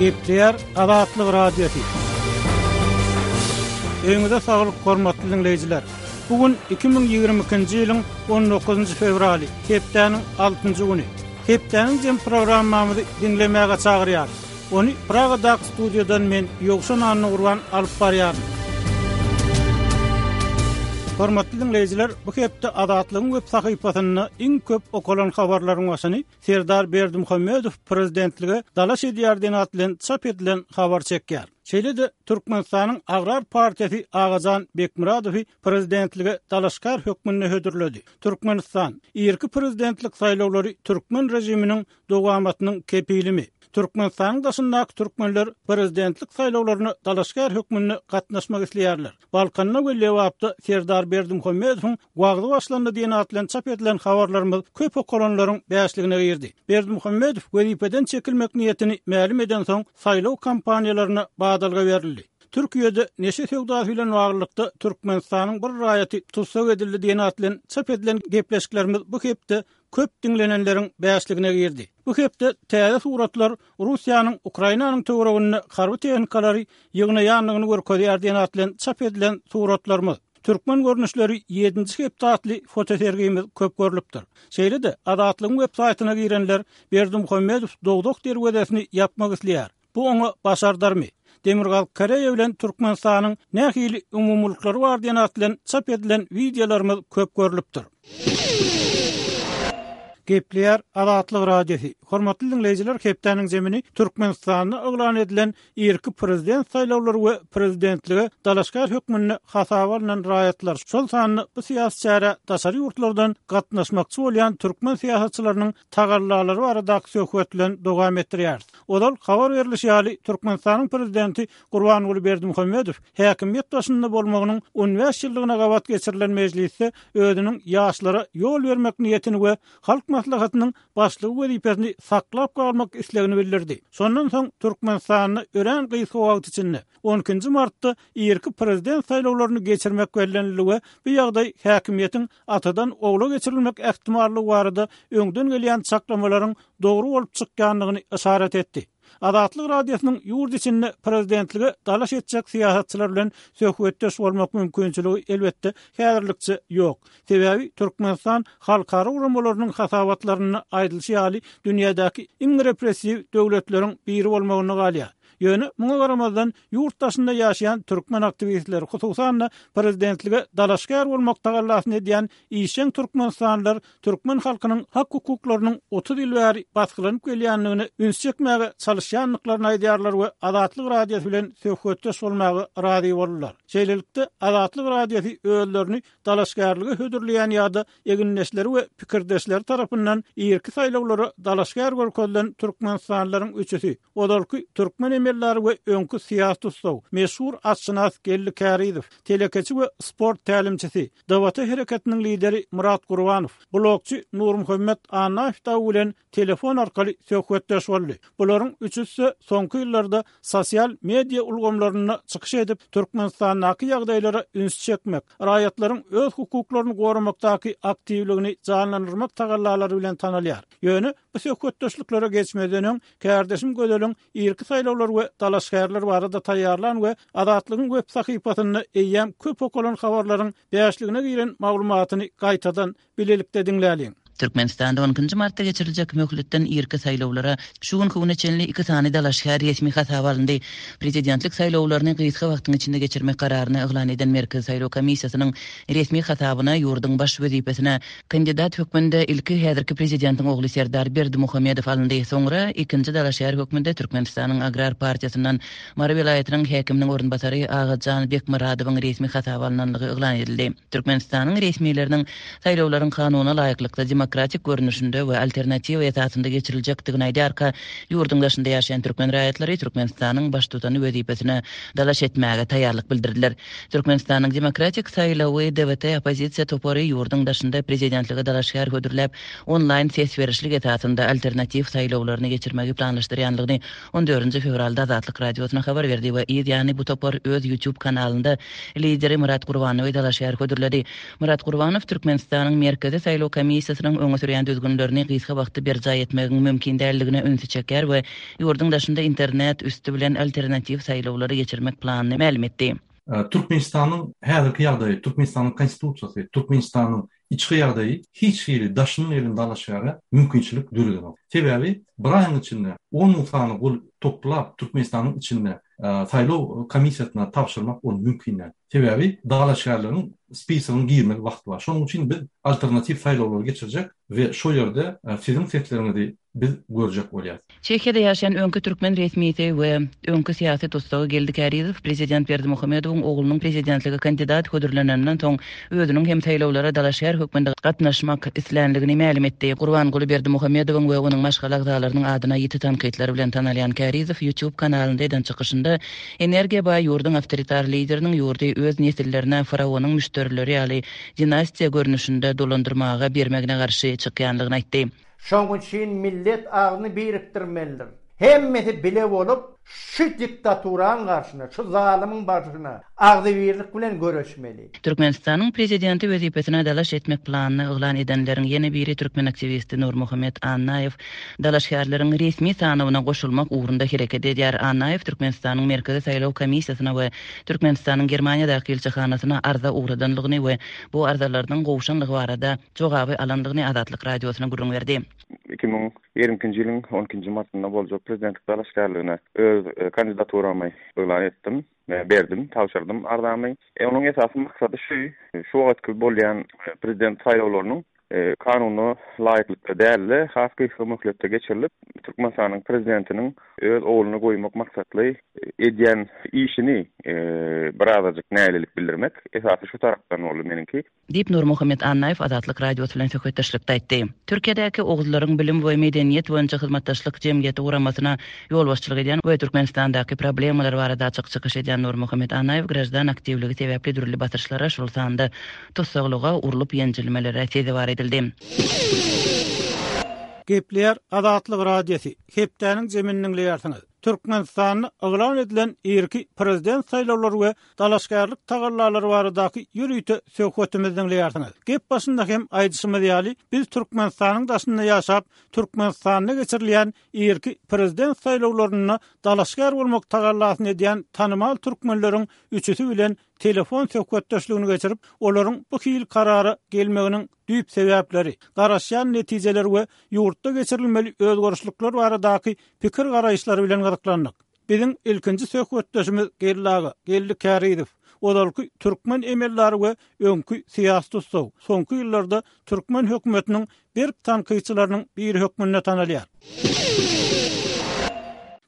Gepleýär Azatlyk Radiosy. Öýüňize saglyk hormatly diňleýjiler. Bu gün 2022-nji ýylyň 19-njy fewraly, hepdäniň altynjy güni. Hepdäniň jem programmamyzy diňlemäge çagyrýarys. Ony Pragadaky studiýadan men, Ýowşan Annagurban alyp barýaryn. Hormatly diňleýjiler, bu hepde Azatlygyň web sahypasynda iň köp okalan habarlaryň başyny Serdar Berdimuhamedow prezidentlige dalaş edýär diýen at bilen çap edilen habar çekýär. Şeýle-de Türkmenistanyň Agrar partiýasy Agajan Bekmyradowy prezidentlige dalaşgär hökmünde hödürledi. Türkmenistan, Irki prezidentlik saýlawlary türkmen režiminiň dowamatynyň kepilimi? Türkmenistanyň daşyndaky türkmenler prezidentlik saýlawlaryna dalaşgär hökmünde gatnaşmak isleýärler. Balkanda we Lebapda Serdar Berdimuhamedowyň wagzy başlandy diýen at bilen çap edilen habarlarymyz köp okalanlaryň bäşligine girdi. Berdimuhamedow wezipeden çekilmek niýetini mälim edensoň, saýlaw kampaniýalaryna badalga berildi. Türkiýede neşe söwdasy bilen baglylykda Türkmenistanyň bir raýaty tussag edildi diýen at bilen çap edilen gepleşiklerimiz bu hepde köp diňlenenleriň bäşligine girdi. Bu hepde täze suratlar Russiýanyň Ukrainanyň töwereginde harby tehnikalary ýygnaýandygyny görkezýär diýen at bilen çap edilen suratlarymyz, Türkmen görnüşleri ýedinji hepde atly fotosergimiz köp görlüpdir. Şeýle-de, Azatlygyň web saýtyna girenler Berdimuhamedow dowzah derwezesini ýapmak isleýär. Bu oňa başardarmy? Demirgazyk Koreýa bilen Türkmenistanyň nähili umumylyklary bar diýen at bilen çap edilen wideolarymyz köp görlüpdir. Gepleýär Azatlyk Radiosy. Hormatly diňleýjiler hepdäniň zemini Türkmenistanda yglan edilen irki prezident saýlawlary we prezidentlige dalaşgär hökmünde hasaba alnan raýatlar, şol sanda bu syýasy çärä daşary ýurtlardan gatnaşmakçy bolýan türkmen syýasatçylarynyň tagallalary baradaky söhbet bilen dowam etdirýäris. Ozal habar berlişi ýaly, Türkmenistanyň Prezidenti Gurbanguly Berdimuhamedow häkimiýet başynda bolmagynyň on bäş ýyllygyna gabat geçirilen mejlisde özüniň ýaşlara ýol bermek niýetini we Halk Maslahatynyň Başlygy wezipesini saklap galmak islegini bildirdi. Şondan soň Türkmenistanda örän gysga wagt içinde, on ikinji martda irki prezident saýlawlaryny geçirmek bellenildi we bu ýagdaý häkimiýetiň atadan ogla geçirilmek ähtimallygy barada öňden gelýän çaklamalaryň dogry bolup çykýandygyny yşarat etdi. Azatlyk Radiosynyň ýurt içinde prezidentlige dalaş etjek syýasatçylar bilen söhbetdeş bolmak mümkinçiligi, elbetde, häzirlikçe ýok. Sebäbi Türkmenistan halkara guramalarynyň hasabatlarynda aýdylyşy ýaly, dünýädäki iň repressiw döwletleriň biri bolmagynda galýar. Ýöne, muňa garamazdan, ýurt daşynda ýaşaýan türkmen aktiwistleri, hususan-da, prezidentlige dalaşgär bolmak tagallasyny edýän işjeň türkmenistanlylar türkmen halkynyň hak-hukuklarynyň 30 ýyl bäri basgylanyp gelýändigine üns çekmäge çalyşýandyklaryny aýdýarlar we Azatlyk Radiosy bilen söhbetdeş bolmaga razy boldular. Şeýlelikde, Azatlyk Radiosy özlerini dalaşgärlige hödürleýän ýa-da egindeşleri we pikirdeşleri tarapyndan irki saýlawlara dalaşgär görkezilen türkmenistanlylaryň üçüsi, ozalky türkmen emeldary we öňki syýasy tussag, meşhur atşynas Geldi Kärizow, telekeçi we sport tälimçisi, DWT hereketiniň lideri Myrat Gurbanow, blogçy Nurmuhammet Annaýew dagy bilen telefon arkaly söhbetdeş boldy. Bularyň üçüsi-de soňky ýyllarda sosial media ulgamlarynda çykyş edip, Türkmenistandaky ýagdaýlara üns çekmek, raýatlaryň öz hukuklaryny goramakdaky aktiwligini janlandyrmak tagallalary bilen tanalýar. Ýöne bu söhbetdeşliklere geçmezden öň, kärdeşim Gözeliň irki saýlawlar we dalaşgärler barada taýýarlan we Azatlygyň web sahypasynda eýýäm köp okalan habarlaryň bäşligine giren maglumatyny gaýtadan bilelikde diňläliň. Türkmenistanda on ikinji martda geçiriljek möhletden irki saýlawlara şu günki güne çenli iki sany dalaşgär resmi hasaba alyndy. Prezidentlik saýlawlaryny gysga wagtyň içinde geçirmek kararyny yglan eden Merkezi saýlaw komissiýasynyň resmi hasabyna ýurduň baş wezipesine kandidat hökmünde ilki häzirki prezidentiň ogly Serdar Berdimuhamedow alyndy. Soňra ikinji dalaşgär hökmünde Türkmenistanyň Agrar partiýasyndan Mary welaýatynyň häkiminiň orunbasary Agajan Bekmyradowyň resmi hasaba alnanlygy yglan edildi. Türkmenistanyň resmileriniň saýlawlaryň kanuna laýyklykda demokratik görnüşinde we alternatiwa esasynda geçiriljekdigini aýdarka, ýurduň daşynda ýaşaýan türkmen raýatlary Türkmenistanyň Baştutany wezipesine dalaş etmäge taýýarlyk bildirdiler. Türkmenistanyň Demokratik saýlawy, DWT, oppozisiýa topary ýurduň daşynda prezidentlige dalaşgär hödürläp, onlaýn ses berişlik esasynda alternatiw saýlawlaryny geçirmegi planlaşdyrýanlygyny on dördünji fewralda Azatlyk Radiosyna habar berdi we yz ýany bu topar öz YouTube kanalynda lideri Myrat Gurbanowy dalaşgär hödürledi. Myrat Gurbanow Türkmenistanyň Merkezi saýlaw komissiýasynyň. öňe sürýän düzgünlerini gysga wagtda berjaý etmegiň mümkin däldigine ünsi çekýär we ýurduň daşynda internet üsti bilen alternatiw saýlawlary geçirmek planyny mälim etdi. Türkmenistanyň häzirki ýagdaýy, Türkmenistanyň Konstitusiýasy, Türkmenistanyň içki ýagdaýy hiç hili daşyndan gelen dalaşgäre mümkinçilik döredenok. Sebäbi bir aýyň içinde 10 müň sany gol toplap Türkmenistanyň içinde saýlaw komissiýasyna tabşyrmak ol mümkin däl. Sebäbi dalaşgärleriň spisogyna girmeli wagty bar. Şonuň üçin biz alternatiw saýlawlary geçirjek we şo ýerde siziň sesleriňizi biz görjek bolýas. Çehiýada ýaşaýan öňki türkmen resmisi we öňki syýasy tussagy Geldi Kärizow prezident Berdimuhamedowyň oglunyň prezidentlige kandidat hödürleneninden soň özüniň hem saýlawlara dalaşgär hökmünde gatnaşmak islänligini mälim etdi. Gurbanguly Berdimuhamedowyň we onuň maşgala agzalarynyň adyna ýiti tankytlar bilen tanalýan Kärizow YouTube kanalynda eden çykyşynda energiýa baý ýurduň awtoritar lideriniň ýurdy öz nesillerine faraonyň müşderileri ýaly dinastiýa görnüşinde dolandyrmaga bermegine garşy çykýanlygyny aýtdy. Şoň üçin millet agzyny birikdirmelidir. Hemmesi bile bolup şu diktaturaň garşyna, şu zalymyň barşyna agzybirlik bilen göreşmeli. Türkmenistanyň Prezidenti wezipesine dalaş etmek planyny yglan edenleriň ýene biri türkmen aktiwisti Nurmuhammet Annaýew dalaşgärleriň resmi sanawyna goşulmak ugrunda hereket edýär. Annaýew Türkmenistanyň Merkezi saýlaw komissiýasyna we Türkmenistanyň Germaniýadaky ilçihanasyna arza ugradanlygyny we bu arzalarynyň gowşanlygy barada jogaby alandygyny Azatlyk Radiosyna gürrüň berdi. 2022-nji ýylyň on ikinji martynda boljak prezidentlik dalaşgärligine öz kandidaturamy yglan etdim, berdim, tabşyrdym arzamy. Onuň esasy maksady şu, şu wagtky bolýan prezident saýlawlarynyň kanuna laýyklykda däl-de, has gysga möhletde geçirilip, Türkmenistanyň prezidentiniň öz ogluny goýmak maksatly edýän işini birazajyk nägilelik bildirmek, esasy şu tarapdan boldy meniňki. Diýip, Nurmuhammet Annaýew Azatlyk Radiosy bilen söhbetdeşlikde aýtdy. Türkiýedäki Oguzlaryň bilim we medeniýet boýunça hyzmatdaşlyk jemgyýeti guramasyna ýolbaşçylyk edýän we Türkmenistandaky problemalar barada açyk çykyş edýän Nurmuhammet Annaýew graždan aktiwligi sebäpli dürli basyşlara, şol sanda tussaglyga, urlup-ýenjilmelere sezewar edildi. Gepleýär Azatlyk Radiosy, Hepdäniň jemini diňleýärsiňiz. Türkmenistanda yglan edilen irki prezident saýlawlary we dalaşgärlik tagallalary baradaky ýörite söhbetimizi diňleýärsiňiz. Gep başynda hem aýdyşymyz ýaly, biz Türkmenistanyň daşynda ýaşap, Türkmenistanda geçirilýän irki prezident saýlawlarynda dalaşgär bolmak tagallasyny edýän tanymal türkmenleriň üçüsi bilen telefon söhbetdeşligini geçirip, olaryň bu hili karara gelmeginiň düýp sebäpleri, garaşýan netijeleri we ýurtda geçirilmeli özgerişlikler baradaky pikir-garaýyşlary bilen gyzyklandyk. Biziň ilkinji söhbetdeşimiz Geldi aga, Geldi Kärizow, ozalky türkmen emeldary we öňki syýasy tussag, soňky ýyllarda türkmen hökümetiniň berk tankytçylarynyň biri hökmünde tanalýar.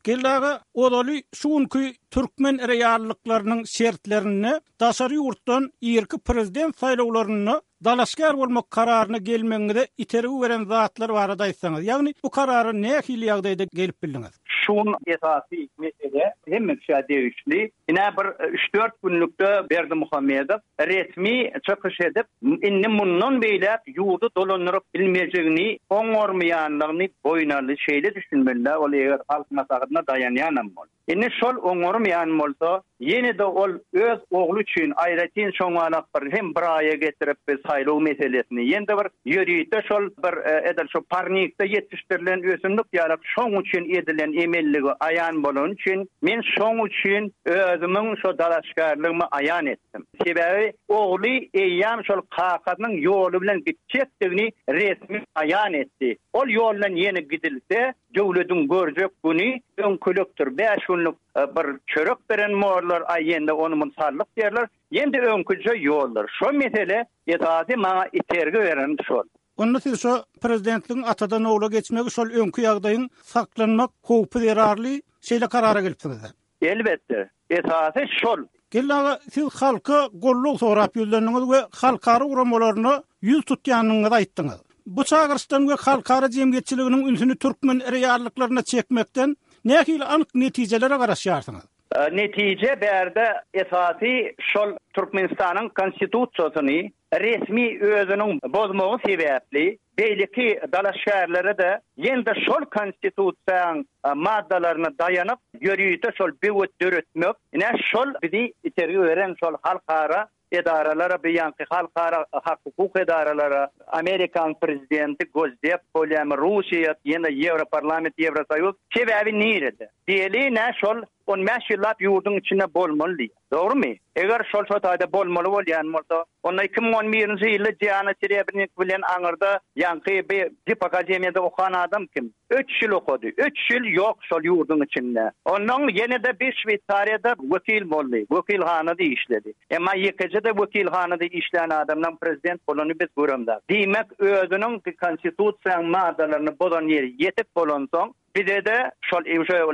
Geldi aga, ozaly şu günki türkmen reallyklarynyň şertlerinde daşary ýurtdan irki prezident saýlawlarynda dalaşgär bolmak kararyna gelmegiňize itergi beren zatlar barada aýtsaňyz, ýagny bu karara nähili ýagdaýda gelip bildiňiz? Şu gün esasy mesele hemme kişä degişli. Ine bir üç-dört günlükde Berdimuhamedow resmi çykyş edip, indi mundan beýläk ýurdy dolandyryp bilmejegini, oňarmaýanlygyny boýun aldy. Şeýle düşünmeli-dä ol eger Halk Maslahatyna daýanýanam bolsa. Indi şol oňarmaýan bolsa, ýene-de ol öz ogly üçin aýratyn şoňalak bir hem bir aýa getirip bir saýlaw meselesini, ýene-de bir ýörite şol bir edil şu parnikde ýetişdirilen ösümlik ýalak şoň üçin edilen emelligi aýan bolany üçin men şoň üçin özümiň şo dalaşgärligimi aýan etdim. Sebäbi ogly eýýäm şol kakasynyň ýoly bilen gitjekdigini resmi aýan etdi. Ol ýoldan ýene gidilse, Döwlediň görjek güni öňkülikdir. Bäş günlük bir çörek beren morlar, aý ýende ony muny sallyk diýerler. Ýende öňküje ýoldur. Şo mesele esasy maňa itergi beren şol. Onda siz şo prezidentligiň atadan ogla geçmegi şol öňki ýagdaýyň saklanmak howpy zerarly şeýle karara gelipsiňiz-dä? Elbetde, esasy şol. Geldi aga, siz halka goldaw sorap ýüzlendiňiz we halkara guramalaryna ýüz tutýandygyňyzy aýtdyňyz. Bu çagyryşdan we halkara jemgyýetçiliginiň ünsüni türkmen reallyklaryna çekmekden nähili anyk netijelere garaşýarsyňyz? Netije bärde esasy şol Türkmenistanyň Konstitusiýasyny resmi özüniň bozmagy sebäpli beýleki dalaşgärlere-de ýene-de şol Konstitusiýaň maddalaryna daýanyp ýörite şol böwet döretmek, ine şol bizi itergi beren şol halkara. edaralara bu ýaňky halkara hak-hukuk edaralara, Amerikanyň prezidenti Gosdep bolýamy, Russiýa, ýene Ýewroparlament, Ýewrosoýuz, sebäbi nirede? Diýeli nä şol 15 ýyllap ýurduň içinde bolmaly diýýär. Dogrumy? Eger şol şo taýda bolmaly bolýan bolsa, onda 2011-nji ýylda Diana Serebrnik bilen aňyrda ýaňky bi dip akademiýada okan adam kim? Üç ýyl okady. Üç ýyl ýok şol ýurduň içinde. Onnoň ýene-de bir Şweýsariýada wekil boldy. Wekilhanada işledi. Emma ýekeje-de wekilhanada işlän adamdan prezident bolanyny biz göremzok. Diýmek, özüniň konstitusiýanyň maddalaryny bozan ýeri ýetik bolansoň, bize-de şol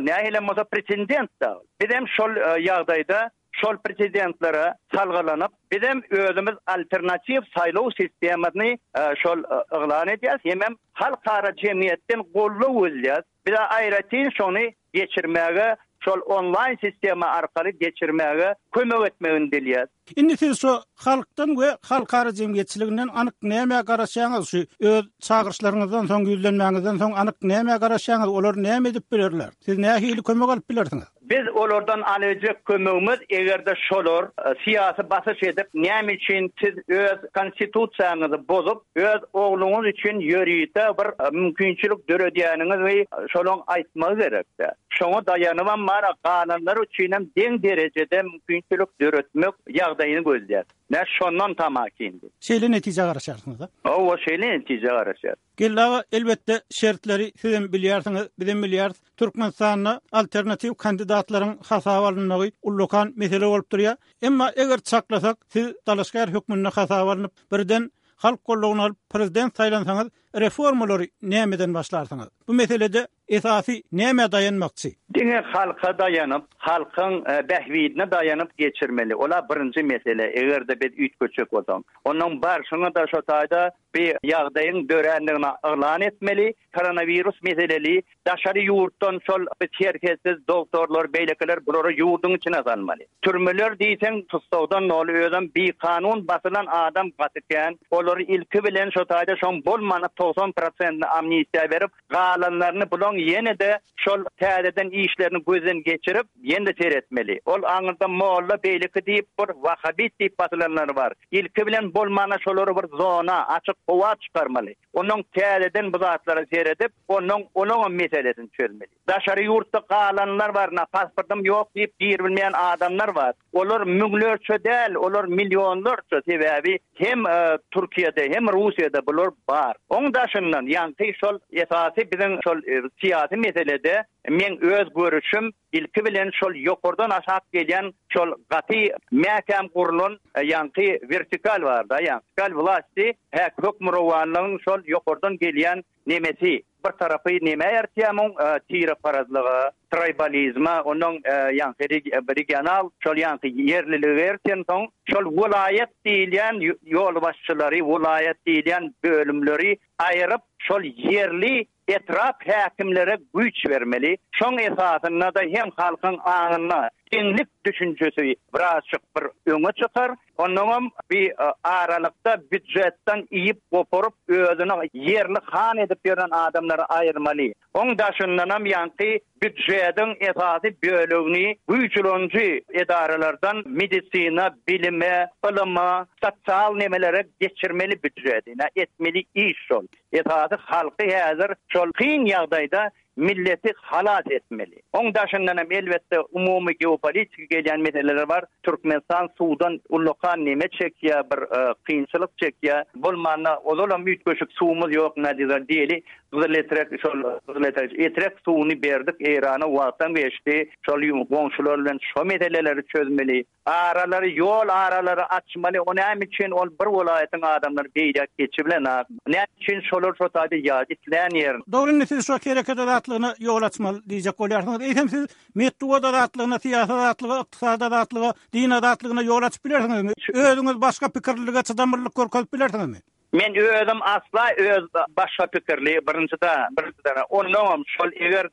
nähilem bolsa pretendent-dä ol. Bizem şol ýagdaýda Şol prezidentlere salgylanyp, bizem özümiz alternatiw saýlaw sistemasyny şol yglan edýäris, hemem halkara jemgyýetden goldaw gözleýäris. Bize aýratyn şony geçirmäge, şol onlaýn sistema arkaly geçirmäge kömek etmegini dileýäris. Indi siz şu halkdan we halkara jemgyýetçiliginden anyk nämä garaşýaňyz, şu öz çagyryşlaryňyzdan soň, ýüzlenmäňizden soň anyk nämä garaşýaňyz, olar näme edip bilerler? Siz nähili kömek alyp bilersiňiz? Biz olardan alyjak kömegimiz eger-de şolar syýasy basyş edip näme üçin siz öz konstitusiýaňyzy bozup öz ogluňyz üçin ýörite bir mümkinçilik döredýäniňizi şolaň aýtmagy gerekdä. Şoňa daýanybam bar galanlar üçinem deň derejede mümkinçilik döretmek ýagdaýyny gözleýäs. Nä şondan tamakin. Şeýle netijä garaşýarsyňyz-a? Hawa şeýle netijä garaşýas. Geldi aga, elbetde, şertleri sizem bilýärsiňiz, bizem bilýäris. Türkmenistanda alternatiw kandidatlaryň hasaba alynmagy ullakan mesele bolup durýar. Emma eger çaklasak, siz dalaşgär hökmünde hasaba alnyp, birden halk goldawyny alyp, prezident saýlansaňyz, reformalary nämeden başlarsyňyz? Bu meselede esasy nämä daýanmakçy? Diňe halka daýanyp, halkyň bähbidine daýanyp geçirmeli. Ol-a birinji mesele, eger-de biz üýtgetjek bolsaň. Onnoň barşyňa-da şo taýda Bu ýagdaýyň dörändigini yglan etmeli. Koronawirus meseleli daşary ýurtdan şol serhetsiz dogtorlar beýlekiler bulary ýurduň içine salmaly. Türmeler diýseň tussagdan doly özem bikanun basylan adam gaty kän. Olary ilki bilen şo taýda şoň bolmany 90 prosentini amnistiýa berip galanlaryny bulaň ýene-de şol täzeden işlerini gözden geçirip ýene-de seretmeli. Ol aňyrda molla beýleki diýip bir wahabit diýip basylanlary bar. Ilki bilen bolmanda şolary bir zona, açyk howa çykarmaly. Onnoň täzeden bu zatlara seredip, onnoň olaňam meselesini çözmeli. Daşary ýurtda galanlar bar, na pasportym ýok diýip giribilmeýän adamlar bar. Olar müňlerçe däl, olar millionlarça, sebäbi hem Türkiýede, hem Russiýada bular bar. Oň daşyndan ýaňky şol esasy biziň şol syýasy meselede meň öz görüşim Ilki bilen şol ýokardan aşak gelýän şol gaty mäkäm gurlan ýaňky wertikal bar-da, ýaňky wertikal wlasti, häk hökmürowanlygyň şol ýokardan gelýän nemesi. Bir tarapy nämä ertýär muň tireparazlyga, traýbalizme, onnoň ýaňky regional şol ýaňky ýerlilige ertensoň, şol welaýat diýilýän ýolbaşçylary, welaýat diýilýän bölümleri aýyryp, şol ýerli Etrap häkimlere güýç bermeli. Şoň esasynda-da hem halkyň aňynda deňlik düşünjesi birazjyk bir öňe çykar. Onnoňam bi aralykda býudjetden iýip goparyp özüni ýerli han edip ýören adamlary aýyrmaly. Oň daşyndanam ýaňky býudjediň esasy bölegini güýç ulanyjy edaralardan medisina, bilime, ylyma, sosial nemelere geçirmeli býudjedi. Ine etmeli iş şol. Esasy halky häzir şol kyn ýagdaýda milleti halas etmeli. Oň daşyndan hem elbetde umumy geopolitiki gelýän meseleler bar. Türkmenistan suwdan ullakan neme çekýär, bir kynçylyk çekýär. Bolmanda ozalam üýtgeşik suwumyz ýok nädizar diýeli Gyzyletrek şol Gyzyletrek Etrek suwuny berdik Eýrana wagtam geçdi. Şol goňşular bilen şo meseleleri çözmeli. Aralary ýol aralary açmaly o näme üçin ol bir welaýatyň adamlary beýläk geçibilenak näme üçin şolar şo taýda ýa islän ýerin. Dogry indi siz şo hereket azatlygyna ýol açmaly diýjek bolýarsyňyz. Eýsem siz metbugat azatlygyna, syýasy azatlyga, ykdysady azatlyga, din azatlygyna ýol açyp bilersiňizmi? Özüňiz başga pikirlilige çydamlylyk görkezip bilersiňizmi? Men özüm asla öz başga pikirli birinjiden birinjiden onnoňam şol eger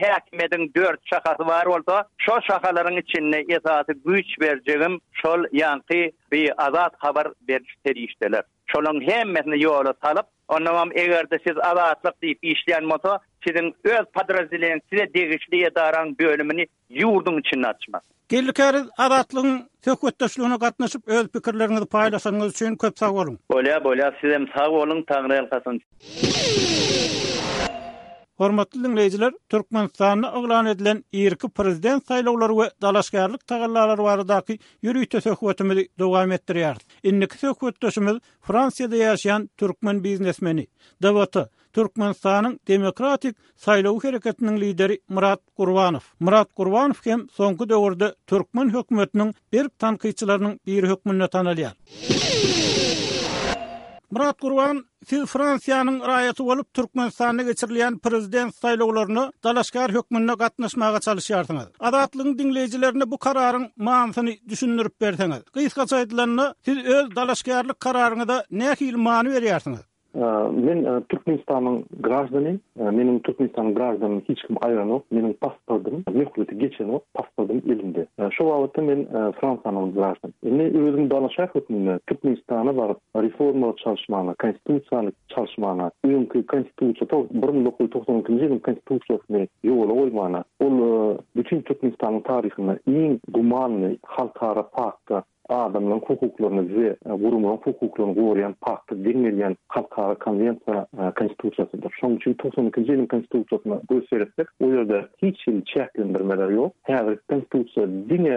häkimiýediň dört şahasy bar bolsa şo şahalaryň içinde esasy güýç berjegim şol ýaňky bi azat habar beriş serişdeler şolaň hemmesini ýola salyp onnoňam egerde siz azatlyk diýip işleýän bolsa. Siziň öz podrazdeleniýe size degişli edaraň bölümini ýurduň içinde açmak. Geldi Käriz Azatlygyň söhbetdeşligine gatnaşyp öz pikirleriňizi paýlaşanyňyz üçin köp sag boluň. Bolýa bolýa sizem sag boluň Taňryýalkasyn. Hormatly diňleýjiler, Türkmenistanda yglan edilen irki prezident saýlawlary we dalaşgärlik tagallalary baradaky ýörite söhbetimizi dowam etdirýäris. Indiki söhbetdeşimiz Fransiýada ýaşaýan türkmen biznesmeni, DWT, Türkmenistanyň Demokratik saýlaw hereketiniň lideri Myrat Gurbanow. Myrat Gurbanow hem soňky döwürde türkmen hökümetiniň berk tankytçylarynyň biri hökmünde tanalýar. Myrat Gurban, siz Fransiýanyň raýaty bolup, Türkmenistanda geçirilýän prezident saýlawlaryna dalaşgär hökmünde gatnaşmaga çalyşýarsyňyz. Azatlygyň diňleýjilerine bu kararyň manysyny düşündirip berseňiz. Gysgaça aýdylanda, siz öz dalaşgärlik kararyňyza nähili many berýärsiňiz? Men Türkmenistanyň graždany, meniň Türkmenistanyň graždanyny hiç kim aýranok, meniň pasportym möhleti geçenok, pasportym elimde. Şo babatda men Fransiýanyň graždany. Indi özüm dalaşgär hökmünde Türkmenistana baryp reformalary çalyşmagyna, konstitusiýany çalyşmagyna, öňki konstitusiýa 1992-nji ýylyň konstitusiýasyny ýola goýmagyna, ol bütin Türkmenistanyň taryhynda iň gumanny halkara pakta adamlaryň hukuklaryny we guramalaryň hukuklaryny goraýan pakta deň gelýän halkara konwensiýa Konstitusiýasydyr. Şonuň üçin 92-nji ýylyň Konstitusiýasyna göz seretsek, o ýerde hiç hili çäklendirmeler ýok. Häzirki Konstitusiýa diňe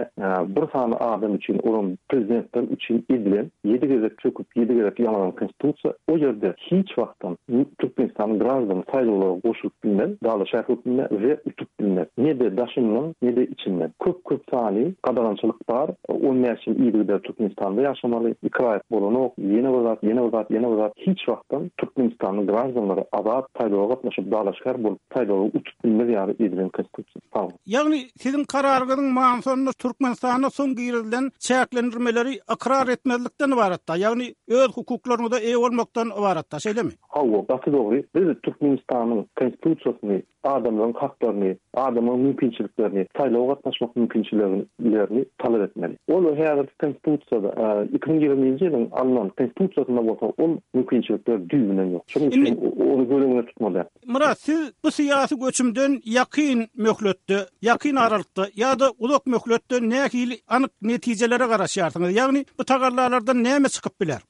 bir sany adam üçin, olam prezidentler üçin edilen, ýedi gezek çöküp, ýedi gezek ýaňalan Konstitusiýa. O ýerde hiç wagtam Türkmenistanyň graždany saýlawlara goşulyp bilmez, dalaşgär hökmünde we utup bilmez. Ne-de daşyndan, ne-de içinden. Köp-köp sany gadagançylyk bar. 15 ýyl yzygider Türkmenistanda ýaşamaly, iki raýat bolanok, ýene bir zat, ýene bir zat, ýene bir zat. Hiç wagtam Türkmenistanyň graždanlary azat saýlawa gatnaşyp dalaşgär bolup saýlawy utup bilmez ýaly edilen konstitusiýa. Sag boluň. Ýagny siziň kararyňyzyň manysy onda Türkmenistanda soň girizilen çäklendirmeleri ykrar etmezlikden ybaratda, ýagny öz hukuklaryňyza eýe bolmakdan ybaratda, şeýlemi? Hawa, gaty dogry. Biz Türkmenistanyň Konstitusiýasyny adamlaryň haklaryny, adamlaryň mümkinçiliklerini, saýlawa gatnaşmak mümkinçiliklerini talap etmeli. Ol häzirki Konstitusiýada, 2020-nji ýylyň alnan Konstitusiýasynda bolsa ol mümkinçilikler düýbünden ýok. Şonuň üçin ony göz öňünde tutmaly. Myrat, siz bu syýasy göçümden ýakyn möhletde, ýakyn aralykda ýa-da uzak möhletde nähili anyk netijelere garaşýarsyňyz? Ýagny bu tagallalardan näme çykyp biler?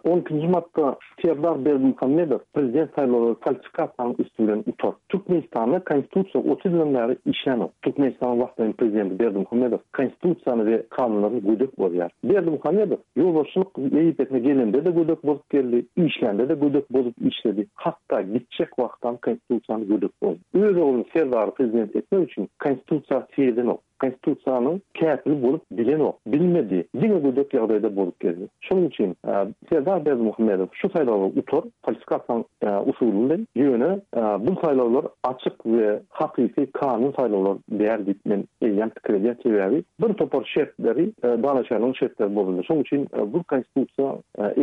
On ikinji martda Serdar Berdimuhamedow prezident saýlawlary falsifikasiýanyň üsti bilen utar. Türkmenistanda konstitusiýa 30 ýyldan bäri işlänok. Türkmenistanyň wagtlaýyn prezidenti Berdimuhamedow konstitusiýany we kanunlaryny gödek bozýar. Berdimuhamedow ýolbaşçylyk wezipesine gelende-de gödek bozup geldi, işlände-de gödek bozup işledi, hatda gitjek wagtam konstitusiýany gödek bozdy. Öz ogluny Serdary prezident etmek üçin konstitusiýa seredenok. Konstitusiýanyň kätili bolup bilenok, bilmedi, diňe gödek ýagdaýda bolup geldi. Şonuň üçin Serdar Berdimuhamedow şu saýlawlary utar, falsifikasiýanyň usuly bilen, ýöne bu saýlawlar açyk we hakyky kanun saýlawlar däl diýip men eýýäm pikir edýän, sebäbi bir topar şertleri, dalaşgärligiň şertleri bozuldy. Şonuň üçin bu konstitusiýa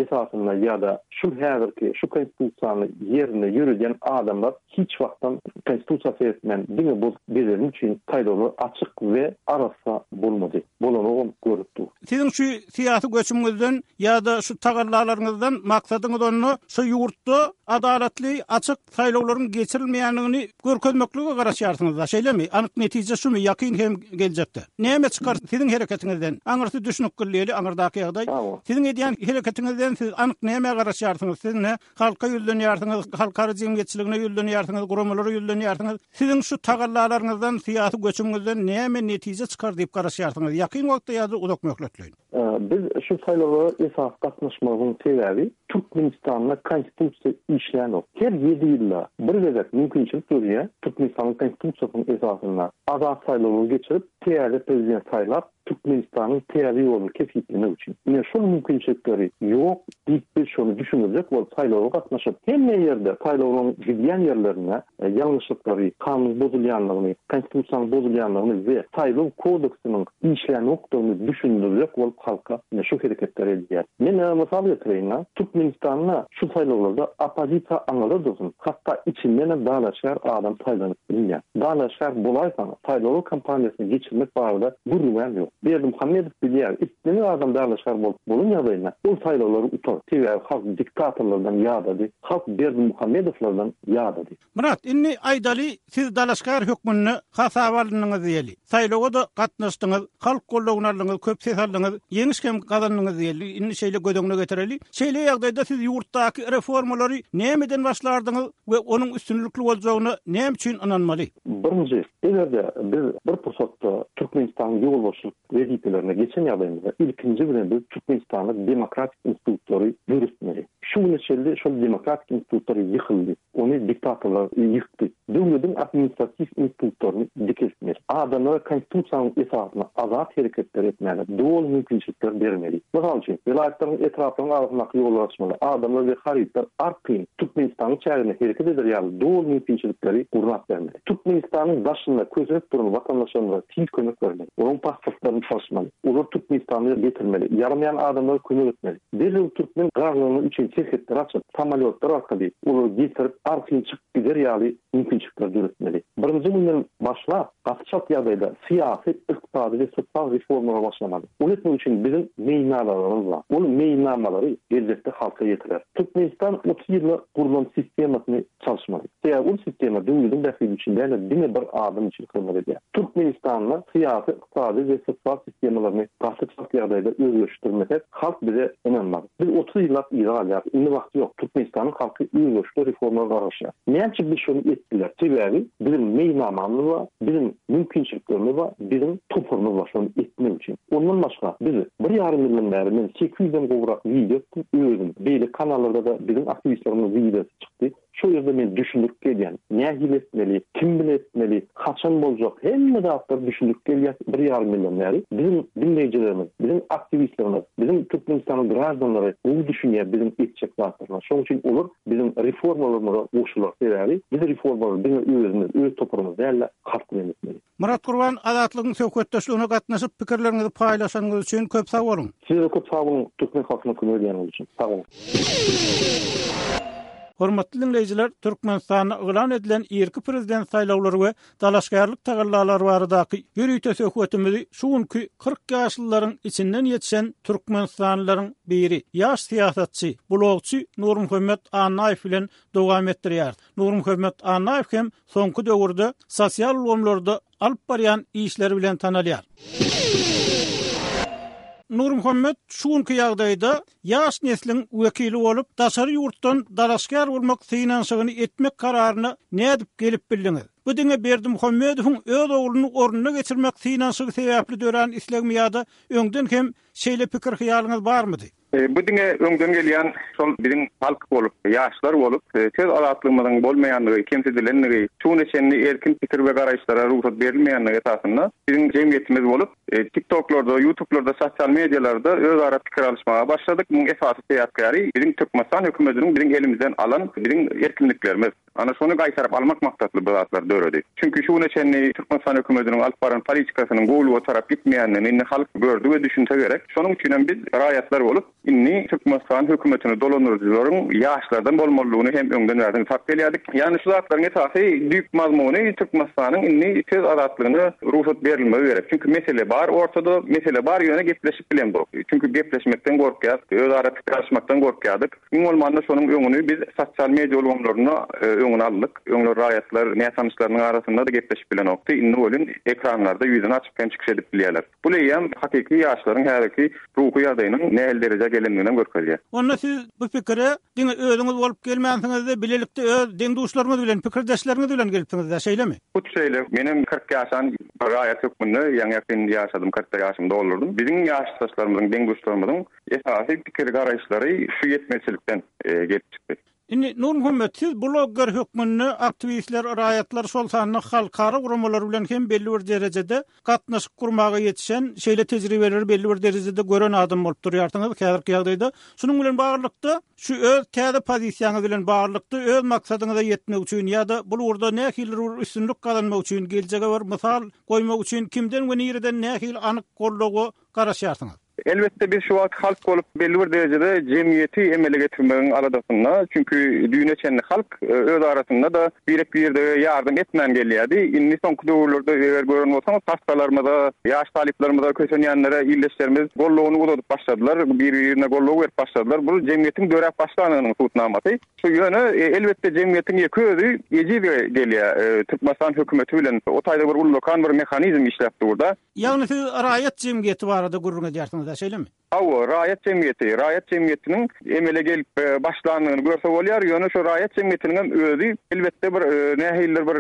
esasynda ýa-da şu häzirki şu konstitusiýany ýerinde ýöredýän adamlar Hiç wagtam konstitusiýa seretmän diňe bozup gezeni üçin saýlawlar açyk we arassa bolmady. Bolanogam görüp dur. Siziň şu syýasy göçümiňizden ýa-da şu tagallalaryňyzdan maksadyňyz onda şu ýurtda adalatly, açyk saýlawlaryň geçirilmeýändigini görkezmeklige garaşýarsyňyzda, şeýlemi? Anyk netije şumy ýakyn hem geljekde? Näme çykar siziň hereketiňizden? Aňyrsy düşnükli diýeli, aňyrdaky ýagdaý. Siziň edýän hereketiňizden siz anyk nämä garaşýarsyňyz? Siz ne Halka ýüzlenýärsiňiz, halkara jemgyýetçiligine ýüzlenýärsiňiz, guramalara ýüzlenýärsiňiz. Siziň şu tagallalaryňyzdan, syýasy göçümiňizden näme netije çykar diýip garaşýarsyňyz, ýakyn wagtda ýa-da uzak möhletleýin? Biz şu saýlawlara esasy gatnaşmagyň sebäbi Türkmenistanda Konstitusiýa işlänok. Her ýedi ýylda bir gezek mümkinçilik dörýär, Türkmenistanyň Konstitusiýasynyň esasynda azat saýlawlary geçirip, täze prezident saýlap, Türkmenistanyň täze ýoluny kesgitlemek üçin. Ine şol mümkinçilikleri ýok diýip biz şony düşündirjek bolup saýlawa gatnaşyp, hemme ýerde saýlawlaryň gidýän ýerlerinde ýalňyşlyklary, kanunyň bozulýanlygyny, konstitusiýanyň bozulýanlygyny we saýlaw kodeksiniň işlänokdygyny düşündirjek bolup halka ine şu hereketleri edýär. Men mysal getireýin, Türkmenistanda şu saýlawlarda oppozisiýa aňyrda dursun, hatda içindenem dalaşgär adam saýlanyp bilinýär. Dalaşgär bolaýsaň, saýlaw kampaniýasyny geçirmek barada gürrüňem ýok. Berdimuhamedow bilýär, islendik adam dalaşgär bolup bolan ýagdaýynda ol saýlawlary utar. Sebäbi halk diktatorlardan ýadady, halk Berdimuhamedowlardan ýadady. Myrat, indi aýdaly, siz dalaşgär hökmünde hasaba alyndyňyz diýeli. Saýlawa-da gatnaşdyňyz, halk goldawyny aldyňyz, köp ses aldyňyz, ýeňiş hem gazandyňyz diýeli, indi şeýle göz öňüne getireli. Şeýle ýagdaýda siz ýurtdaky reformalary nämeden başlardyňyz we onuň üstünlikli boljagyna näme üçin ynanmaly? Birinji, eger-de biz bir pursatda Türkmenistanyň ýolbaşçylyk wezipelerine geçen ýagdaýymyzda, ilkinji bilen biz Türkmenistanda demokratik institutlary döretmeli. Şu güne çenli şol demokratik institutlar ýykyldy. Ony diktatorlar ýykdy. Döwlediň administratiw institutlaryny dikeltmeli. Adamlara Konstitusiýanyň esasynda azat hereketler etmäge doly mümkinçilikler bermeli. Mysal üçin, welaýatlaryň, etraplaryň arasyndaky ýollary açmaly. Adamlar we harytlar arkaýyn Türkmenistanyň çäginde hereket eder ýaly doly mümkinçilikleri gurnap bermeli. Türkmenistanyň daşynda kösenip duran watandaşlarymyza tiz kömek bermeli. Olaryň pasportlaryny çalyşmaly. Olary Türkmenistana getirmeli. Ýaramaýan adamlara kömek etmeli. Derrew türkmen graždanlary üçin serhetleri açyp, samolýotlar arkaly olary getirip, arkaýyn çykyp gider ýaly mümkinçilikleri döretmeli. Birinji günden başlap, gaty çalt ýagdaýda syýasy, ykdysady we sosial reformalara başlamaly. Ony etmek üçin biziň meýilnamalarymyz bar. Ol meýilnamalary geljekde halka ýetirer. Türkmenistan 30 ýylda gurlan sistemasyny çalyşmaly. Sebäbi ol sistema döwlediň bähbidi üçin däl-de, diňe bir adam üçin hyzmat edýär. Türkmenistanda syýasy, ykdysady we sosial sistemalaryny gaty çalt ýagdaýda özgerişdirmesek, halk bize ynanmaz. Biz 30 ýyllap yza galýarys. Indi wagt ýok. Türkmenistanyň halky özgerişli reformalara garaşýar. Näme üçin biz şony edip bileris? Sebäbi biziň meýilnamamyz bar, biziň mümkinçiliklerimiz bar, biziň toparymyz bar şony etmek üçin. Ondan başga biz bir ýarym ýyldan bäri men sekiz ýüzden gowrak wideo etdim özüm. Beýleki kanallarda-da biziň aktiwistlerimiziň wideosy çykdy. Şo ýerde men düşündirip gelýän. Nähili etmeli, kim bilen etmeli, haçan boljak, hemme zatlary düşündirip gelýäs bir ýarym ýyldan bäri. Biziň diňleýjilerimiz, biziň aktiwistlerimiz, biziň Türkmenistanyň graždanlary gowy düşünýär biziň etjek zatlarymyza. Şonuň üçin olar biziň reformalarymyza goşular. Sebäbi biz reformalary diňe özümiz, öz toparymyz däl-de, halk bilen etmeli. Myrat Gurban, Azatlygyň söhbetdeşligine gatnaşyp, pikirleriňizi paýlaşanyňyz üçin köp sag boluň! Size-de köp sag boluň, türkmen halkyna kömek edýäniňiz üçin. Sag boluň! Hormatly diňleýjiler, Türkmenistanda yglan edilen irki prezident saýlawlary we dalaşgärlik tagallalary baradaky ýörite söhbetimizi şu günki 40 ýaşlylaryň içinden ýetişen türkmenistanlylaryň biri, ýaş syýasatçy, blogçy Nurmuhammet Annaýew bilen dowam etdirýäris. Nurmuhammet Annaýew hem soňky döwürde sosial ulgamlarda alyp barýan işleri bilen tanalýar. Nurmuhammet şu günki ýagdaýda ýaş nesliň wekili bolup, daşary ýurtdan dalaşgär bolmak synanyşygyny etmek kararyna nädip gelip bildiňiz? Bu diňe Berdimuhamedowyň öz ogluny ornuna geçirmek synanyşygy sebäpli dörän islegmi ýa-da öňden hem şeýle pikir-hyýalyňyz barmydy? Bu diňe öňden gelýän şol biziň halk bolup, ýaşlar bolup, söz azatlygymyzyň bolmaýandygy, kemsidilendigi, şu güne çenli erkin pikir we garaýyşlara rugsat berilmeýändigi esasynda biziň jemgyýetimiz bolup, TikToklarda, YouTubelarda, sosial medialarda özara pikir alyşmaga başladyk. Munuň esasy sebäpkäri biziň Türkmenistan hökümetiniň biziň elimizden alan biziň erkinliklerimiz. Ana şony gaýtaryp almak maksatly bu zatlar döredi. Çünki şu güne çenli Türkmenistan hökümetiniň alyp baran politikasynyň gowulyga tarap gitmeýändigini indi halk gördi we düşünse gerek. Şonuň üçinem biz raýatlar bolup indi Türkmenistan hökümetini dolandyryjylaryň ýaşlardan bolmalydygyny hem öňden bärden sap gelýärdik. Ýagny şu zatlaryň esasy düýp mazmuny Türkmenistanyň indi söz azatlygyna rugsat berilmegi gerek. Çünki mesele bar ortada, mesele bar ýöne gepleşip bilemzok. Çünki gepleşmekden gorkýas, özara pikir alyşmakdan gorkýardyk. Iň bolmanda şonuň öňüni biz sosial media ulgamlarynda öňüni aldyk. Öňler raýatlar nätanyşlarynyň arasynda-da gepleşip bilenokdy. Indi welin ekranlarda ýüzüni açyp hem çykyş edip bilýärler. Bu eýýäm hakyky ýaşlaryň häzirki ruhy ýagdaýynyň nähili derejä gelendiginem görkezýär. Onda siz bu pikire diňe özüňiz bolup gelmänsiňiz-de, bilelikde öz deň-duşlaryňyz bilen, pikirdeşleriňiz bilen gelipsiňiz-dä, şeýlemi? Hut şeýle. Menem 40 ýaşan bir raýat hökmünde ýaňy-ýakyn ýaşadym, kyrkda ýaşymy doldurdym. Biziň ýaşdaşlarymyzyň, deň-duşlarymyzyň Esasy pikir-garaýyşlary şu ýetmezçilikden gelip çykdy. Indi, Nurmuhammet, siz blogger hökmünde aktiwistler, raýatlar, şol sanda halkara guramalary bilen hem belli bir derejede gatnaşyk gurmaga ýetişen, şeýle tejribeleri belli bir derejede gören adam bolup durýarsyňyz häzirki ýagdaýda. Şunuň bilen baglylykda, şu öz täze pozisiýaňyz bilen baglylykda öz maksadyňyza ýetmek üçin ýa-da bul ugurda nähilidir bir üstünlik gazanmak üçin, geljege bir mysal goýmak üçin kimden we nireden nähili anyk goldawa garaşýarsyňyz? Elbetde biz şu wagt halk bolup belli bir derejede jemgyýeti emele getirmegiň aladasynda. Çünki düýne çenli halk öz arasynda-da birek-birege ýardam etmän gelýärdi. Indi soňky döwürlerde eger gören bolsaňyz hassalarymyza, ýaş talyplarymyza, kösenýänlere ildeşlerimiz goldawyny uzadyp başladylar, bir-birine goldaw berip başladylar. Bu jemgyýetiň döräp başlandygynyň subutnamasy. Şu ýöne elbetde jemgyýetiň ýeke özi ejiz gelýär. Türkmenistan hökümeti bilen o taýda bir ullakan bir mehanizm işläp dur-da. Ýagny siz raýat jemgyýeti barada gürrüň edýärsiňiz-dä, şeýlemi? Hawa, raýat jemgyýeti, raýat jemgyýetiniň emele gelip başlandygyny görse bolýar, ýöne şu raýat jemgyýetiniň hem özi elbetde bir nähilidir bir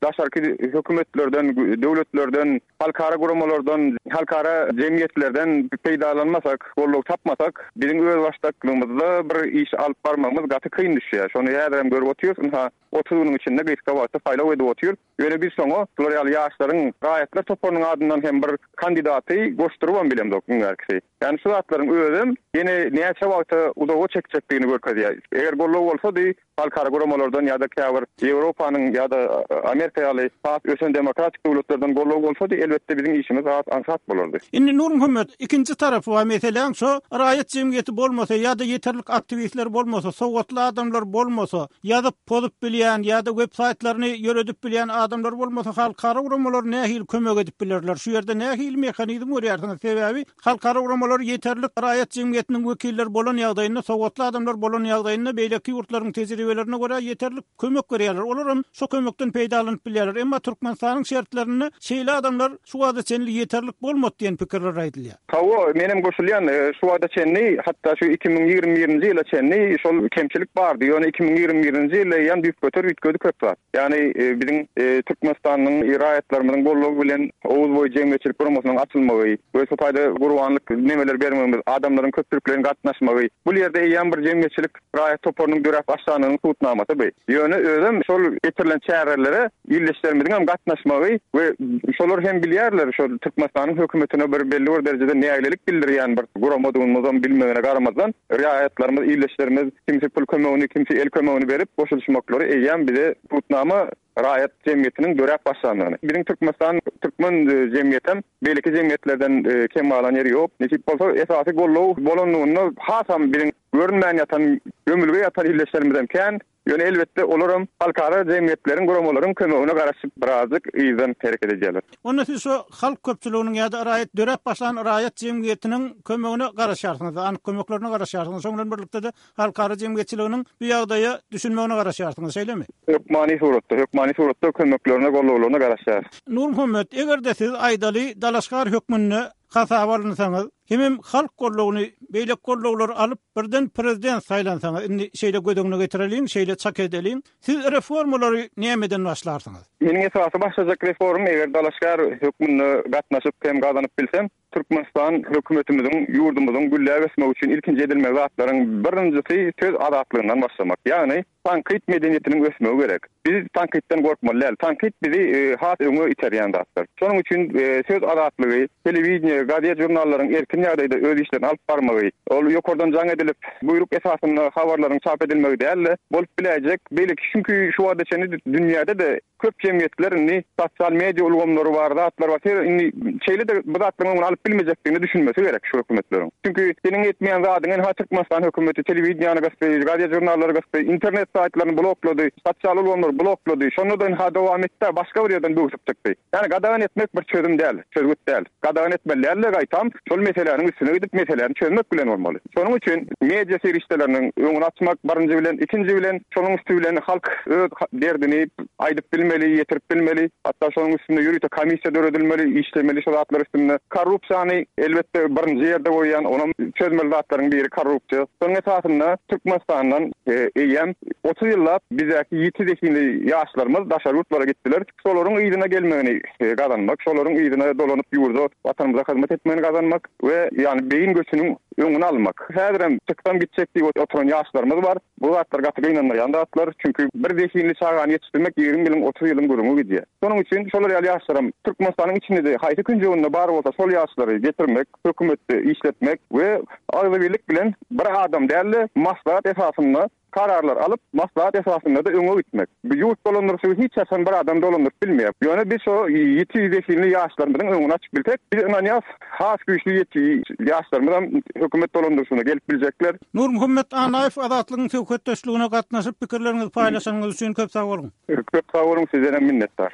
daşarky hökümetlerden, döwletlerden, halkara guramalardan, halkara jemgyýetlerden peýdalanmasak, goldaw tapmasak, biziň özbaşdaklygymyzda bir iş alyp barmagymyz gaty kyn düşýär. Şony häzirem görüp otyrys, ynha, 30 günüň içinde gysga wagtda saýlaw edip otyr. Ýöne biz şoňa şular ýaly ýaşlaryň raýatlar toparynyň adyndan hem bir kandidaty goşdurybam bilemzok iň bärkisi. Ýagny şu zatlaryň özem ýene näçe wagta uzaga çekjekdigini görkezýär. Eger goldaw bolsady, halkara guramalardan ýa-da käbir Ýewropanyň ýa-da Amerika ýaly has ösen demokratik döwletlerden goldaw bolsady, elbetde biziň işimiz has aňsat bolardy. Indi Nurmuhammet, ikinji tarapy bar meseläň, şo raýat jemgyýeti bolmasa ýa-da ýeterlik aktiwistler bolmasa, sowatly adamlar bolmasa, Ýazyp, pozup bilýän ýa-da web saýtlaryny ýöredip bilýän adamlar bolmasa halkara guramalar nähili kömek edip bilerler? Şu ýerde nähili mehanizm görýärsiňiz? Sebäbi halkara guramalar ýeterlik raýat jemgyýetiniň wekilleri bolan ýagdaýynda, sowatly adamlar bolan ýagdaýynda beýleki ýurtlaryň tejribelerine görä ýeterlik kömek berýärler. Olar hem şo kömekden peýdalanyp bilýärler. Emma Türkmenistanyň şertlerinde şeýle adamlar şu wagta çenli ýeterlik bolmady diýen pikirler aýdylýar. Hawa, menem goşulýan. Şu wagta çenli, hatda şu 2021-nji ýyla çenli şol kemçilik bardy. Ýöne 2021-nji ýylda eýýäm düýpgöter üýtgedi köp zat. Ýagny biziň Türkmenistanyň raýatlarymyzyň goldawy bilen Oguz boýy jemgyýetçilik guramasynyň açylmagy we şu taýda gurbanlyk nemeler bermegimiz, adamlaryň köpçülikleýin gatnaşmagy, bul ýerde eýýäm bir jemgyýetçilik raýat toparynyň döräp başlandygynyň subutnamasy bu. Ýöne özem şol geçirilen çärelere ildeşlerimiziň hem gatnaşmagy we şolar hem bilýärler şol Türkmenistanyň hökümetine bir belli bir derejede nägilelik bildirýän bir guramadygymyzam bilmegine garamazdan raýatlarymyz, ildeşlerimiz kimsi pul kömegini, kimsi el kömegini berip goşulyşmaklary eýýäm bize subutnama raýat jemgyýetiniň döräp başlandygyny. Biziň Türkmenistan türkmen jemgyýetem beýleki jemgyýetlerden kem galan ýeri ýok. Nesip bolsa esasy goldaw bolanlygynda hasam biziň görünmän ýatan, gömülge ýatan ildeşlerimizem kän. Ýöne elbetde olaram halkara jemgyýetleriň, guramalaryň kömegine garaşyp birazjyk yzdan hereket edýärler. Onda siz şu halk köpçüliginiň ýa-da raýat döräp başlan raýat jemgyýetiniň kömegine garaşýarsyňyz, anyk kömeklerine garaşýarsyňyz. Şoň bilen birlikde-de halkara jemgyýetçiliginiň bu ýagdaýa düşünmegine garaşýarsyňyz, şeýlemi? Hökmany suratda, hökmany suratda kömeklerine, goldawlaryna garaşýarys. Nurmuhammet, eger-de siz aýdaly dalaşgar hökmünde hasaba alynsaňyz, hemem halk goldawyny, beýleki goldawlary alyp, birden prezident saýlansaňyz, indi şeýle göz öňüne getireliň, şeýle çak edeliň, siz reformalary nämeden başlarsyňyz? Meniň esasy başlajak reformym, eger dalaşgär hökmünde gatnaşyp hem gazanyp bilsem, Türkmenistan hökümetimiziň ýurdumyzyň gülläp ösmegi üçin ilkinji edilmeli zatlaryň birinjisi söz azatlygyndan başlamak. Ýagny tankyt medeniýetiniň ösmegi gerek. Biz tankytdan gorkmaly däl. Tankyt bizi has öňe iterýän zatdyr. Şonuň üçin söz azatlygy, telewideniýe, gazet-žurnallaryň erkin ýagdaýda öz işlerini alyp barmagy, ol ýokardan jaň edilip, buýruk esasynda habarlaryň çap edilmegi däl-de, bolup biläýjek beýleki çünki şu wagta çenli dünýäde-de Köp jemgyýetler indi sosial media ulgamlary bar, zatlar bar. Sebäbi indi şeýle-de bu zatlaryň öňüni alyp bilmejekdigine düşünmesi gerek şu hökümetleriň. Çünki seniň etmeýän zadyňy ynha Türkmenistan hökümeti telewideniýany gysdy, gazet-žurnallary gysdy, internet saýtlaryny bloklady, sosial ulgamlary bloklady. Şonda-da ynha dowam etdi-ä, başga bir ýerden böwsüp çykdy. Ýagny gadagan etmek bir çözüm däl, çözgüt däl. Gadagan etmeli däl-de, gaýtam şol meseläniň üstüne gidip meseläni çözmek bilen bolmaly. Şonuň üçin media serişdeleriniň öňüni açmak birinji bilen, ikinji bilen şonuň üsti bilen halk öz derdini aýdyp bilmeli, ýetirip bilmeli. Hatda şonuň üstünde ýörite komissiýa döredilmeli, işlemeli şo zatlar üstünde. Korrupsiýany elbetde birinji ýerde goýýan, onam çözmeli zatlaryň biri korrupsiýa. Şonuň esasynda Türkmenistandan eýýäm 30 ýyllap bizdäki ýiti zehinli ýaşlarymyz daşary ýurtlara gitdiler. Şolaryň yzyna gelmegini gazanmak, şolaryň yzyna dolanyp ýurda, Watanymyza hyzmat etmegini gazanmak we ýagny beýin göçüniň öňüni almak. Häzirem çyksam gitjek diýip oturan ýaşlarymyz bar. Bu zatlar gaty gynandyrýan zatlar. Çünki bir zehinli çagany ýetişdirmek 20 ýylyň, 30 ýylyň gürrüňi gidýär. Şonuň üçin şolar ýaly ýaşlaram Türkmenistanyň içinde-de haýsy künjeginde bar bolsa şol ýaşlary getirmek, hökümetde işletmek we agzybirlik bilen bir adam däl-de maslahat esasynda. kararlar alyp, maslahat esasynda-da öňe gitmek. Bu ýurt dolandyryşygy hiç haçan bir adam dolandyryp bilmeýär. Ýöne biz şo ýiti zehinli ýaşlarymyzyň öňüni açyp bilsek, biz ynanýas, has güýçli ýiti ýaşlarymyzam hökümet dolandyryşyna gelip biljekler. Nurmuhammet Annaýew Azatlygyň söhbetdeşligine gatnaşyp pikirleriňizi paýlaşanyňyz üçin köp sag boluň. Köp sag boluň, sizdenem minnetdar.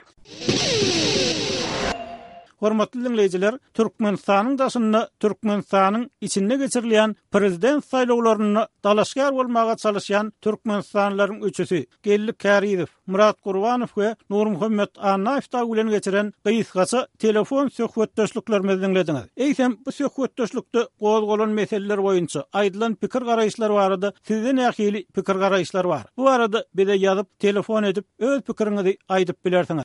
Hormatly diňleýjiler, Türkmenistanyň daşynda Türkmenistanyň içinde geçirilýän prezident saýlawlarynda dalaşgär bolmaga çalyşýan türkmenistanlylaryň üçüsi, Geldi Kärizow, Myrat Gurbanow we Nurmuhammet Annaýew dagy bilen geçiren gysgaça telefon söhbetdeşliklerimizi diňlediňiz. Eýsem, bu söhbetdeşlikde gozgalan meseleler boýunça aýdylan pikir-garaýyşlar barada sizde nähili pikir-garaýyşlar bar? Bu barada bize ýazyp, telefon edip, öz pikiriňizi aýdyp bilersiňiz.